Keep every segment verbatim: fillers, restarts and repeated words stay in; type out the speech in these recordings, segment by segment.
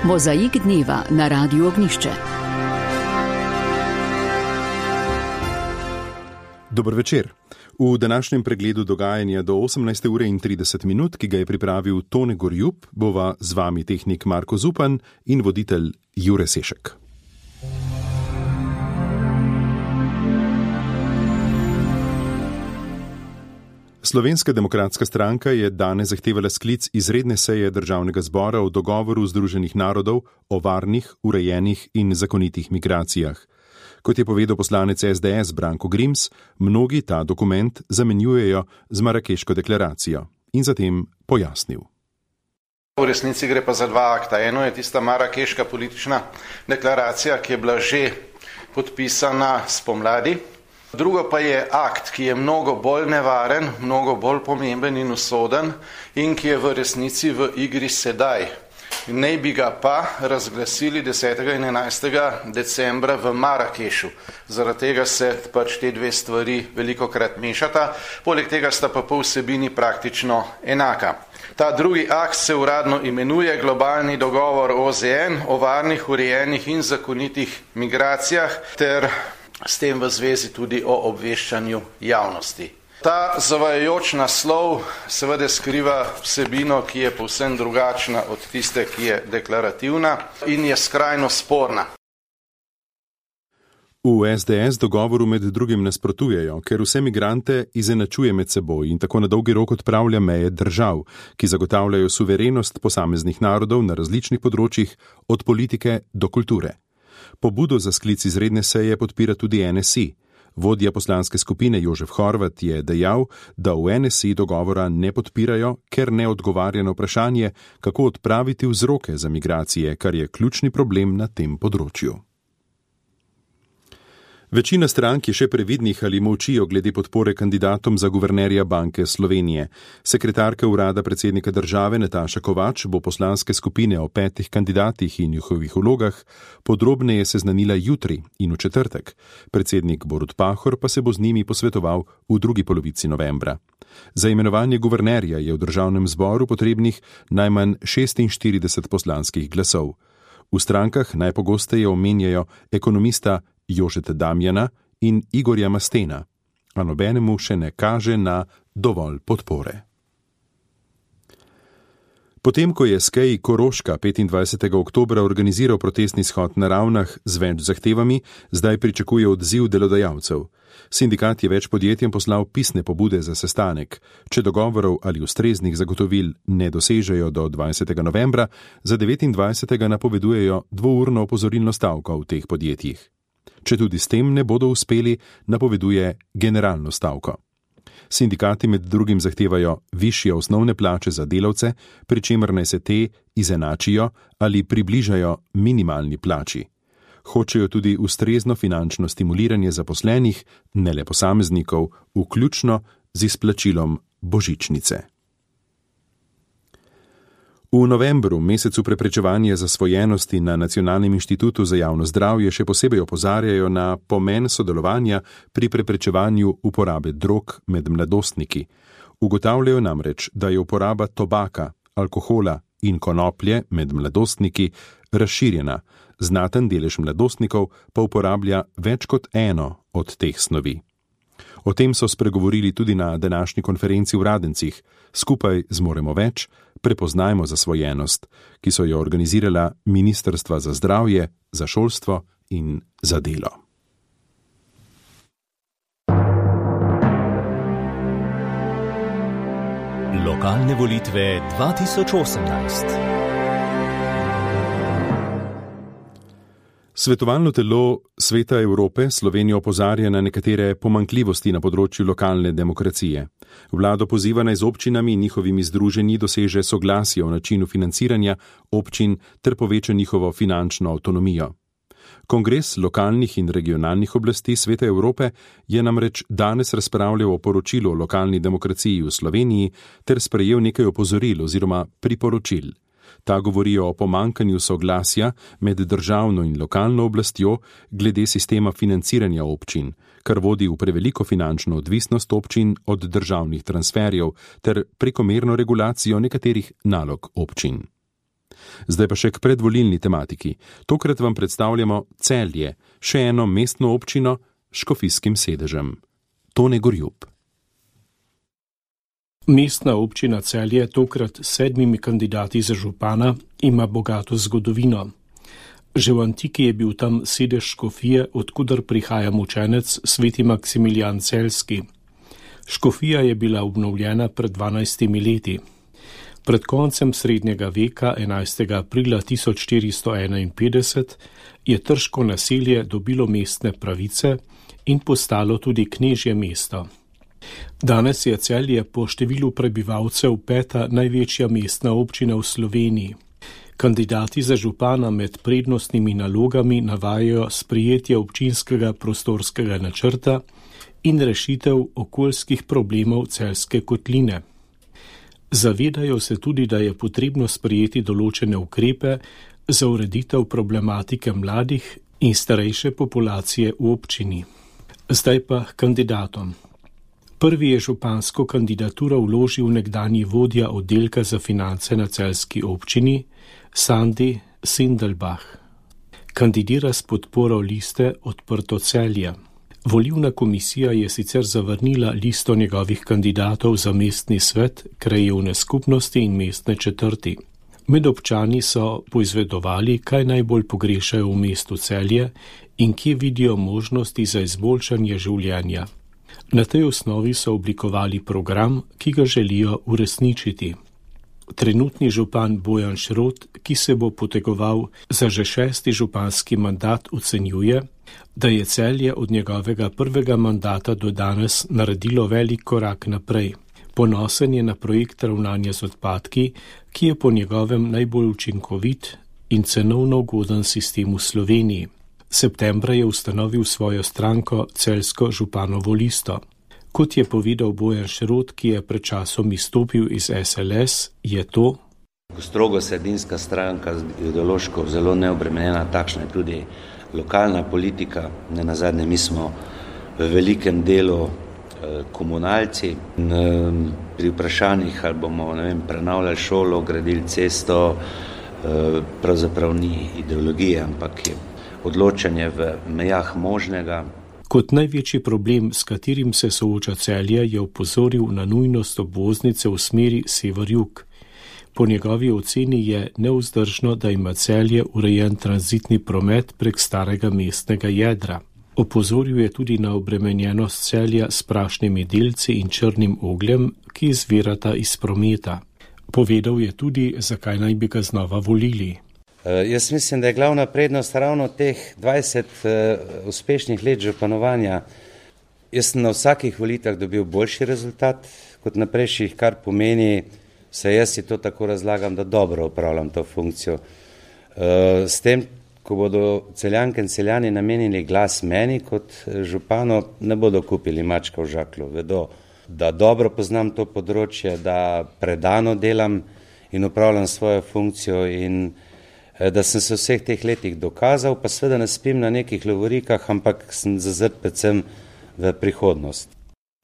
Mozaik dneva na Radiu Ognjišče. Dober večer. V današnjem pregledu dogajanja do osemnajste ure in trideset minut, ki ga je pripravil Tone Gorjup, bova z vami tehnik Marko Zupan in voditelj Jure Sešek. Slovenska demokratska stranka je danes zahtevala sklic izredne seje Državnega zbora o dogovoru Združenih narodov o varnih, urejenih in zakonitih migracijah. Kot je povedal poslanec es de es Branko Grims, mnogi ta dokument zamenjujejo z Marakeško deklaracijo in zatem pojasnil. V resnici gre pa za dva akta. Eno je tista Marakeška politična deklaracija, ki je bila že podpisana spomladi. Drugo pa je akt, ki je mnogo bolj nevaren, mnogo bolj pomemben in usoden in ki je v resnici v igri sedaj. Naj bi ga pa razglasili desetega in enajstega decembra v Marakešu. Zaradi tega se pač te dve stvari velikokrat mešata, poleg tega sta pa po vsebini praktično enaka. Ta drugi akt se uradno imenuje Globalni dogovor o ze en o varnih, urejenih in zakonitih migracijah ter s tem v zvezi tudi o obveščanju javnosti. Ta zavajajoč naslov seveda skriva vsebino, ki je povsem drugačna od tiste, ki je deklarativna in je skrajno sporna. V es de es dogovoru med drugim nasprotujejo, ker vse migrante izenačuje med seboj in tako na dolgi rok odpravlja meje držav, ki zagotavljajo suverenost posameznih narodov na različnih področjih, od politike do kulture. Pobudo za sklic izredne seje podpira tudi en es i. Vodja poslanske skupine Jožef Horvat je dejal, da v en es i dogovora ne podpirajo, ker ne odgovarja na vprašanje, kako odpraviti vzroke za migracije, kar je ključni problem na tem področju. Večina strank je še previdnih ali molčijo glede podpore kandidatom za guvernerja Banke Slovenije. Sekretarka urada predsednika države Nataša Kovač bo poslanske skupine o petih kandidatih in njihovih vlogah podrobneje seznanila jutri in v četrtek. Predsednik Borut Pahor pa se bo z njimi posvetoval v drugi polovici novembra. Za imenovanje guvernerja je v državnem zboru potrebnih najmanj šestinštirideset poslanskih glasov. V strankah najpogosteje omenjajo ekonomista Jožeta Damjana in Igorja Mastena, a nobenemu še ne kaže na dovolj podpore. Potem, ko je es ke i Koroška petindvajsetega oktobra organiziral protestni shod na Ravnah z več zahtevami, zdaj pričakuje odziv delodajalcev. Sindikat je več podjetjem poslal pisne pobude za sestanek. Če dogovorov ali ustreznih zagotovil ne dosežejo do dvajsetega novembra, za devetindvajsetega napovedujejo dvourno opozorilno stavko v teh podjetjih. Če tudi s tem ne bodo uspeli, napoveduje generalno stavko. Sindikati med drugim zahtevajo višje osnovne plače za delavce, pri čemer naj se te izenačijo ali približajo minimalni plači. Hočejo tudi ustrezno finančno stimuliranje zaposlenih, ne le posameznikov, vključno z izplačilom božičnice. V novembru, mesecu preprečevanja zasvojenosti, na Nacionalnem inštitutu za javno zdravje še posebej opozarjajo na pomen sodelovanja pri preprečevanju uporabe drog med mladostniki. Ugotavljajo namreč, da je uporaba tobaka, alkohola in konoplje med mladostniki razširjena, znaten delež mladostnikov pa uporablja več kot eno od teh snovi. O tem so spregovorili tudi na današnji konferenci v Radencih. Skupaj zmoremo več, prepoznajmo zasvojenost, ki so jo organizirala Ministrstva za zdravje, za šolstvo in za delo. Lokalne volitve dva tisoč osemnajst. Svetovalno telo Sveta Evrope Slovenijo opozarja na nekatere pomanjkljivosti na področju lokalne demokracije. Vlado poziva naj z občinami in njihovimi združenji doseže soglasje o načinu financiranja občin ter poveča njihovo finančno avtonomijo. Kongres lokalnih in regionalnih oblasti Sveta Evrope je namreč danes razpravljal o poročilu o lokalni demokraciji v Sloveniji ter sprejel nekaj opozoril oziroma priporočil. Ta govorijo o pomanjkanju soglasja med državno in lokalno oblastjo glede sistema financiranja občin, kar vodi v preveliko finančno odvisnost občin od državnih transferjev ter prekomerno regulacijo nekaterih nalog občin. Zdaj pa še k predvolilni tematiki. Tokrat vam predstavljamo Celje, še eno mestno občino s škofijskim sedežem. Tone Gorjup. Mestna občina Celje, tokrat s sedmimi kandidati za župana, ima bogato zgodovino. Že v antiki je bil tam sedež škofije, odkudar prihaja mučenec sveti Maksimilijan Celjski. Škofija je bila obnovljena pred dvanajstimi leti. Pred koncem srednjega veka, enajstega aprila tisoč štiristo enainpetdeset, je trško naselje dobilo mestne pravice in postalo tudi knežje mesto. Danes je Celje po številu prebivalcev peta največja mestna občina v Sloveniji. Kandidati za župana med prednostnimi nalogami navajajo sprejetje občinskega prostorskega načrta in rešitev okoljskih problemov Celjske kotline. Zavedajo se tudi, da je potrebno sprejeti določene ukrepe za ureditev problematike mladih in starejše populacije v občini. Zdaj pa kandidatom. Prvi je župansko kandidaturo vložil nekdanji vodja oddelka za finance na celjski občini, Sandi Sindelbach. Kandidira s podporo liste Odprto Celje. Volilna komisija je sicer zavrnila listo njegovih kandidatov za mestni svet, krajevne skupnosti in mestne četrti. Med občani so poizvedovali, kaj najbolj pogrešajo v mestu Celje in kje vidijo možnosti za izboljšanje življenja. Na tej osnovi so oblikovali program, ki ga želijo uresničiti. Trenutni župan Bojan Šrot, ki se bo potegoval za že šesti županski mandat, ocenjuje, da je Celje od njegovega prvega mandata do danes naredilo velik korak naprej. Ponosen je na projekt ravnanja z odpadki, ki je po njegovem najbolj učinkovit in cenovno ugoden sistem v Sloveniji. Septembra je ustanovil svojo stranko Celjsko županovo listo. Kot je povedal Bojan Šrot, ki je pred časom izstopil iz S L S, je to strogo sredinska stranka, ideološko zelo neobremenjena, takšna je tudi lokalna politika. Ne nazadnje, mi smo v velikem delu eh, komunalci. In, eh, pri vprašanjih, ali bomo ne vem, prenavljali šolo, gradili cesto, eh, pravzaprav ni ideologije, ampak je odločanje v mejah možnega. Kot največji problem, s katerim se sooča Celje, je opozoril na nujnost obvoznice v smeri sever-jug. Po njegovi oceni je nevzdržno, da ima Celje urejen tranzitni promet prek starega mestnega jedra. Opozoril je tudi na obremenjenost Celja s prašnimi delci in črnim ogljem, ki izvirata iz prometa. Povedal je tudi, zakaj naj bi ga znova volili. Jaz mislim, da je glavna prednost ravno teh dvajset uh, uspešnih let županovanja. Jaz sem na vsakih volitvah dobil boljši rezultat kot na prejšnjih, kar pomeni, se jaz si to tako razlagam, da dobro upravljam to funkcijo. Uh, s tem, ko bodo Celjanke in Celjani namenili glas meni kot župano, ne bodo kupili mačka v žaklu. Vedo, da dobro poznam to področje, da predano delam in upravljam svojo funkcijo in da sem se v vseh teh letih dokazal, pa seveda ne spim na nekih lovorikah, ampak sem zazrt predvsem v prihodnost.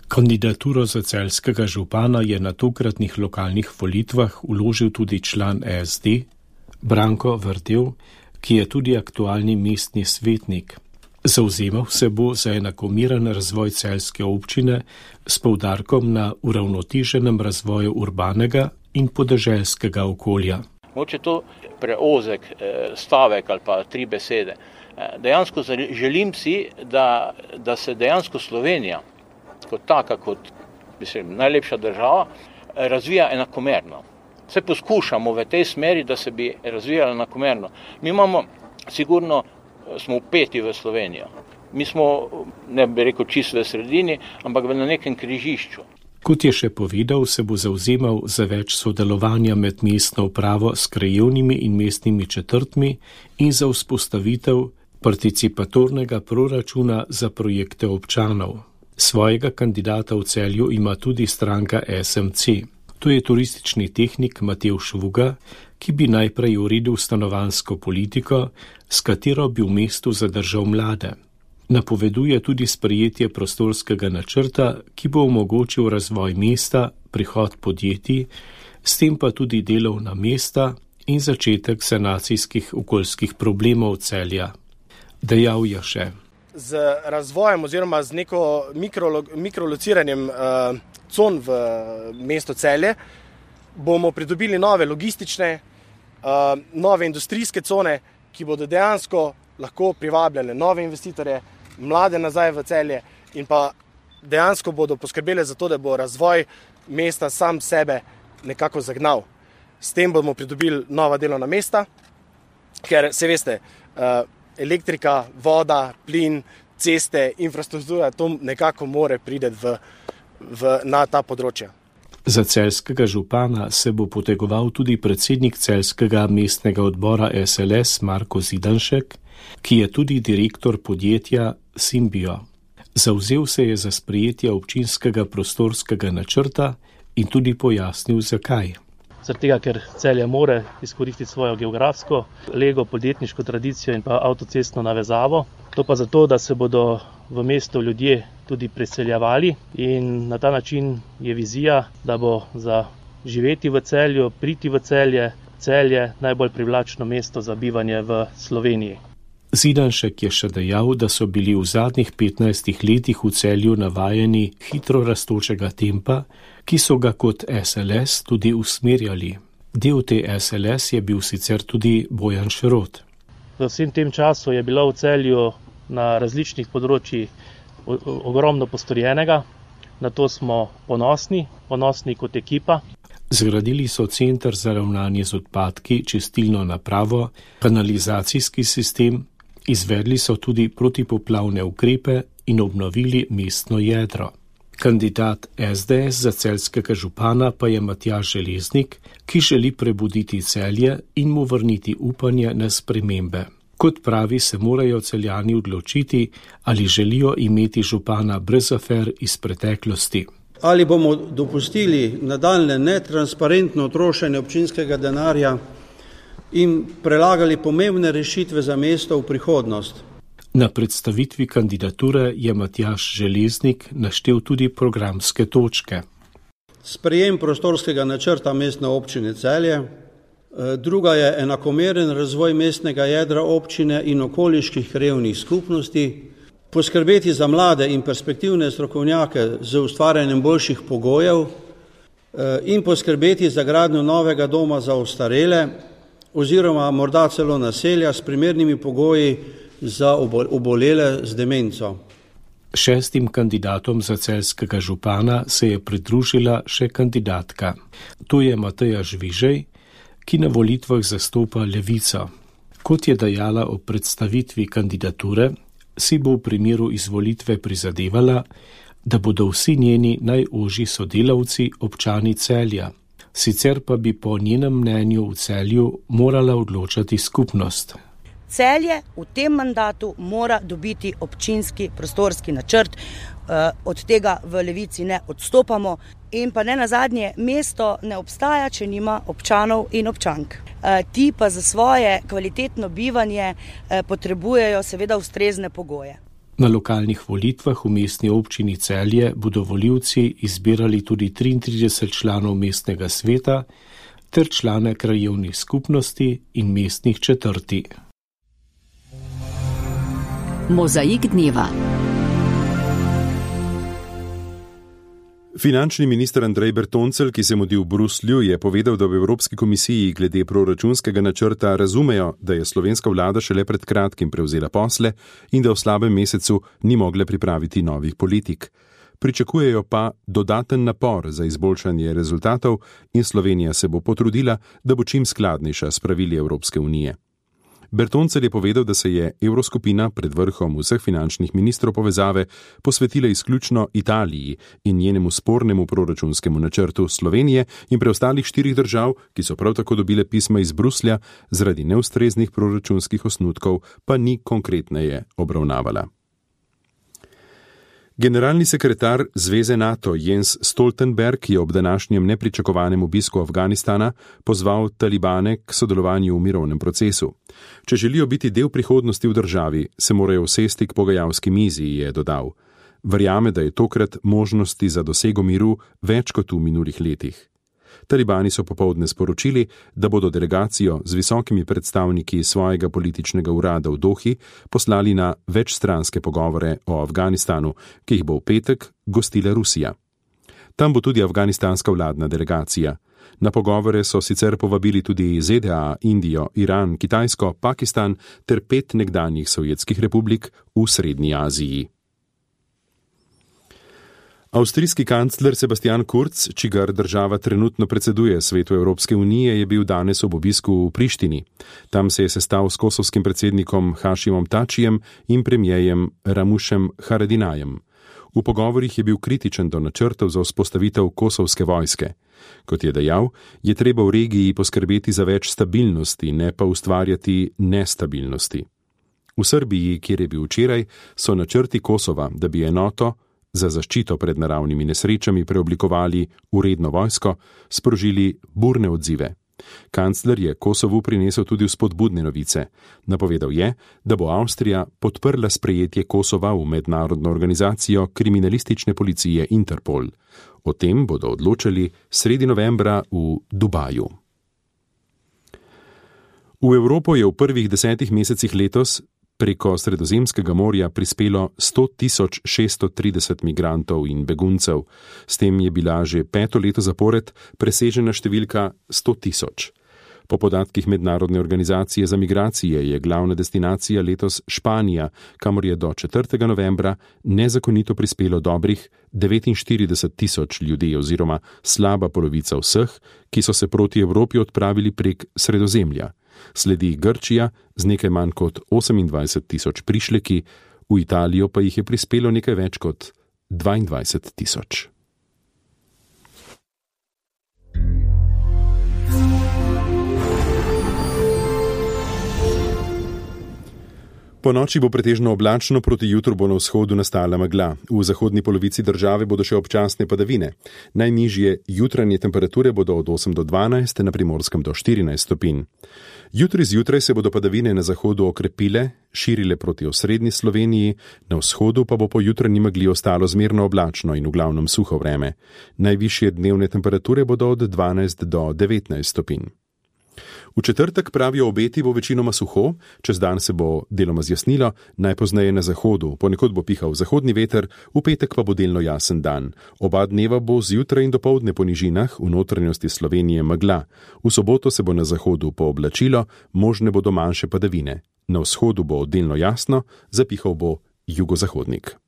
Kandidaturo za celjskega župana je na tokratnih lokalnih volitvah vložil tudi član S D, Branko Vrtel, ki je tudi aktualni mestni svetnik. Zavzemal se bo za enakomeren razvoj celjske občine s poudarkom na uravnoteženem razvoju urbanega in podeželskega okolja. Moče to preozek stavek ali pa tri besede. Dejansko želim si, da, da se dejansko Slovenija kot taka, kot mislim, najlepša država, razvija enakomerno. Se poskušamo v tej smeri, da se bi razvijala enakomerno. Mi imamo, sigurno smo upeti v Slovenijo. Mi smo, ne bi rekel čisto v sredini, ampak na nekem križišču. Kot je še povedal, se bo zavzemal za več sodelovanja med mestno upravo s krajevnimi in mestnimi četrtmi in za vzpostavitev participatornega proračuna za projekte občanov. Svojega kandidata v Celju ima tudi stranka S M C. To je turistični tehnik Matevž Vuga, ki bi najprej uredil stanovanjsko politiko, s katero bi v mestu zadržal mlade. Napoveduje tudi sprejetje prostorskega načrta, ki bo omogočil razvoj mesta, prihod podjetij, s tem pa tudi delovna mesta in začetek sanacijskih okoljskih problemov Celja. Dejal je še: Z razvojem oziroma z neko mikro, mikrolociranjem uh, con v mesto Celje bomo pridobili nove logistične, uh, nove industrijske cone, ki bodo dejansko lahko privabljale nove investitorje, mlade nazaj v Celje in pa dejansko bodo poskrbele za to, da bo razvoj mesta sam sebe nekako zagnal. S tem bomo pridobili nova delovna mesta, ker se veste, uh, elektrika, voda, plin, ceste, infrastruktura, to nekako more priti v, v, na ta področja. Za celjskega župana se bo potegoval tudi predsednik celjskega mestnega odbora S L S Marko Zidanšek, ki je tudi direktor podjetja Symbio. Zavzel se je za sprejetje občinskega prostorskega načrta in tudi pojasnil, zakaj. Zaradi tega, ker Celje more izkoristiti svojo geografsko, lego, podjetniško tradicijo in pa avtocestno navezavo. To pa zato, da se bodo v mesto ljudje tudi preseljevali in na ta način je vizija, da bo za živeti v Celju, priti v Celje, Celje najbolj privlačno mesto za bivanje v Sloveniji. Zidanšek je še dejal, da so bili v zadnjih petnajstih letih v Celju navajeni hitro rastočega tempa, ki so ga kot S L S tudi usmerjali. Del te S L S je bil sicer tudi Bojan Šrot. V vsem tem času je bilo v Celju na različnih področjih ogromno postorjenega, na to smo ponosni, ponosni kot ekipa. Zgradili so center za ravnanje z odpadki, čistilno napravo, kanalizacijski sistem, izvedli so tudi protipoplavne ukrepe in obnovili mestno jedro. Kandidat S D S za celjskega župana pa je Matjaž Železnik, ki želi prebuditi Celje in mu vrniti upanje na spremembe. Kot pravi, se morajo Celjani odločiti, ali želijo imeti župana brez afer iz preteklosti. Ali bomo dopustili nadaljne netransparentno trošenje občinskega denarja in prelagali pomembne rešitve za mesto v prihodnost. Na predstavitvi kandidature je Matjaž Železnik naštel tudi programske točke. Sprejem prostorskega načrta mestne občine Celje, druga je enakomeren razvoj mestnega jedra občine in okoliških krajevnih skupnosti, poskrbeti za mlade in perspektivne strokovnjake z ustvarjanjem boljših pogojev in poskrbeti za gradnjo novega doma za ostarele oziroma morda celo naselja s primernimi pogoji za obolele z demenco. Šestim kandidatom za celjskega župana se je pridružila še kandidatka. To je Mateja Žvižej, ki na volitvah zastopa Levico. Kot je dejala o predstavitvi kandidature, si bo v primeru izvolitve prizadevala, da bodo vsi njeni najožji sodelavci občani Celja. Sicer pa bi po njenem mnenju v Celju morala odločati skupnost. Celje v tem mandatu mora dobiti občinski prostorski načrt, od tega v Levici ne odstopamo in pa ne nazadnje, mesto ne obstaja, če nima občanov in občank. Ti pa za svoje kvalitetno bivanje potrebujejo seveda ustrezne pogoje. Na lokalnih volitvah v mestni občini Celje bodo volivci izbirali tudi triintrideset članov mestnega sveta ter člane krajevnih skupnosti in mestnih četrti. Mozaik dneva. Finančni minister Andrej Bertoncelj, ki se mudi v Bruslju, je povedal, da v Evropski komisiji glede proračunskega načrta razumejo, da je slovenska vlada šele pred kratkim prevzela posle in da v slabem mesecu ni mogla pripraviti novih politik. Pričakujejo pa dodaten napor za izboljšanje rezultatov in Slovenija se bo potrudila, da bo čim skladnejša s pravili Evropske unije. Bertoncelj je povedal, da se je Evroskupina pred vrhom vseh finančnih ministrov povezave posvetila izključno Italiji in njenemu spornemu proračunskemu načrtu Slovenije in preostalih štirih držav, ki so prav tako dobile pisma iz Bruslja, zaradi neustreznih proračunskih osnutkov pa ni konkretneje obravnavala. Generalni sekretar Zveze NATO Jens Stoltenberg je ob današnjem nepričakovanem obisku Afganistana pozval talibane k sodelovanju v mirovnem procesu. Če želijo biti del prihodnosti v državi, se morajo usesti k pogajalski mizi, je dodal. Verjame, da je tokrat možnosti za dosego miru več kot v minulih letih. Talibani so popoldne sporočili, da bodo delegacijo z visokimi predstavniki svojega političnega urada v Dohi poslali na večstranske pogovore o Afganistanu, ki jih bo v petek gostila Rusija. Tam bo tudi afganistanska vladna delegacija. Na pogovore so sicer povabili tudi Z D A, Indijo, Iran, Kitajsko, Pakistan ter pet nekdanjih sovjetskih republik v Srednji Aziji. Avstrijski kancler Sebastian Kurz, čigar država trenutno predseduje Svetu Evropske unije, je bil danes ob obisku v Prištini. Tam se je sestal s kosovskim predsednikom Hašimom Tačijem in premijejem Ramušem Haradinajem. V pogovorih je bil kritičen do načrtov za vzpostavitev kosovske vojske. Kot je dejal, je treba v regiji poskrbeti za več stabilnosti, ne pa ustvarjati nestabilnosti. V Srbiji, kjer je bil včeraj, so načrti Kosova, da bi enoto za zaščito pred naravnimi nesrečami preoblikovali v redno vojsko, sprožili burne odzive. Kancler je Kosovu prinesel tudi vzpodbudne novice. Napovedal je, da bo Avstrija podprla sprejetje Kosova v mednarodno organizacijo kriminalistične policije Interpol. O tem bodo odločali sredi novembra v Dubaju. V Evropo je v prvih desetih mesecih letos preko Sredozemskega morja prispelo sto tisoč šeststo trideset migrantov in beguncev. S tem je bila že peto leto zapored presežena številka sto tisoč. Po podatkih Mednarodne organizacije za migracije je glavna destinacija letos Španija, kamor je do četrtega novembra nezakonito prispelo dobrih devetinštirideset tisoč ljudi oziroma slaba polovica vseh, ki so se proti Evropi odpravili prek Sredozemlja. Sledi Grčija z nekaj manj kot osemindvajset tisoč prišleki, v Italijo pa jih je prispelo nekaj več kot dvaindvajset tisoč. Po noči bo pretežno oblačno, proti jutru bo na vzhodu nastala megla. V zahodni polovici države bodo še občasne padavine. Najnižje jutranje temperature bodo od osem do dvanajst, na Primorskem do štirinajst stopinj. Jutri zjutraj se bodo padavine na zahodu okrepile, širile proti osrednji Sloveniji, na vzhodu pa bo po jutranji megli ostalo zmerno oblačno in v glavnem suho vreme. Najvišje dnevne temperature bodo od dvanajst do devetnajst stopinj. V četrtek, pravijo obeti, bo večinoma suho, čez dan se bo deloma zjasnilo, najpozneje na zahodu, ponekod bo pihal zahodni veter, v petek pa bo delno jasen dan. Oba dneva bo zjutraj in dopoldne po nižinah, v notranjosti Slovenije megla. V soboto se bo na zahodu pooblačilo, možne bodo manjše padavine. Na vzhodu bo delno jasno, zapihal bo jugozahodnik.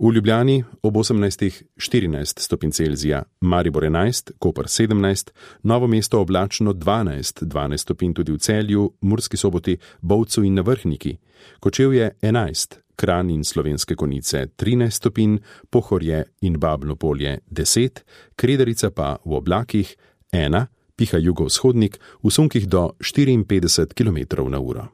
V Ljubljani ob osemnajst štirinajst stopinj Celzija, Maribor enajst, Koper sedemnajst, Novo mesto oblačno dvanajst, dvanajst stopinj tudi v Celju, Murski Soboti, Bovcu in na Vrhniki, Kočevje enajst, Kranj in Slovenske Konjice trinajst stopinj, Pohorje in Babno Polje deset, Kredarica pa v oblakih ena, piha jugovzhodnik, v sunkih do štiriinpetdeset kilometrov na uro.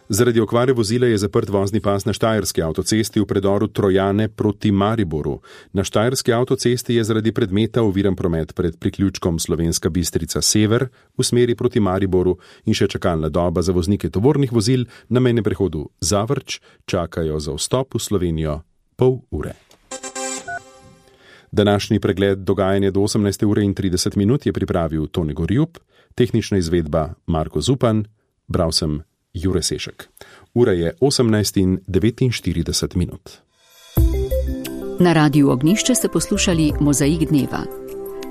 Zaradi okvare vozila je zaprt vozni pas na Štajerski avtocesti v predoru Trojane proti Mariboru. Na Štajerski avtocesti je zaradi predmeta oviran promet pred priključkom Slovenska Bistrica Sever v smeri proti Mariboru in še čakalna doba za voznike tovornih vozil na mejnem prehodu Zavrč čakajo za vstop v Slovenijo pol ure. Današnji pregled dogajanja do osemnajste ure in trideset minut je pripravil Tone Gorjub, tehnična izvedba Marko Zupan, bral sem Jure Sešek. Ura je osemnajst in devetinštirideset minut. Na Radiu Ognjišče ste poslušali Mozaik dneva.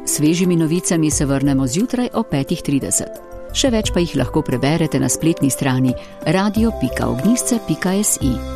Svežimi novicami se vrnemo zjutraj o petih trideset. Še več pa jih lahko preberete na spletni strani radio pika ognjišče pika si.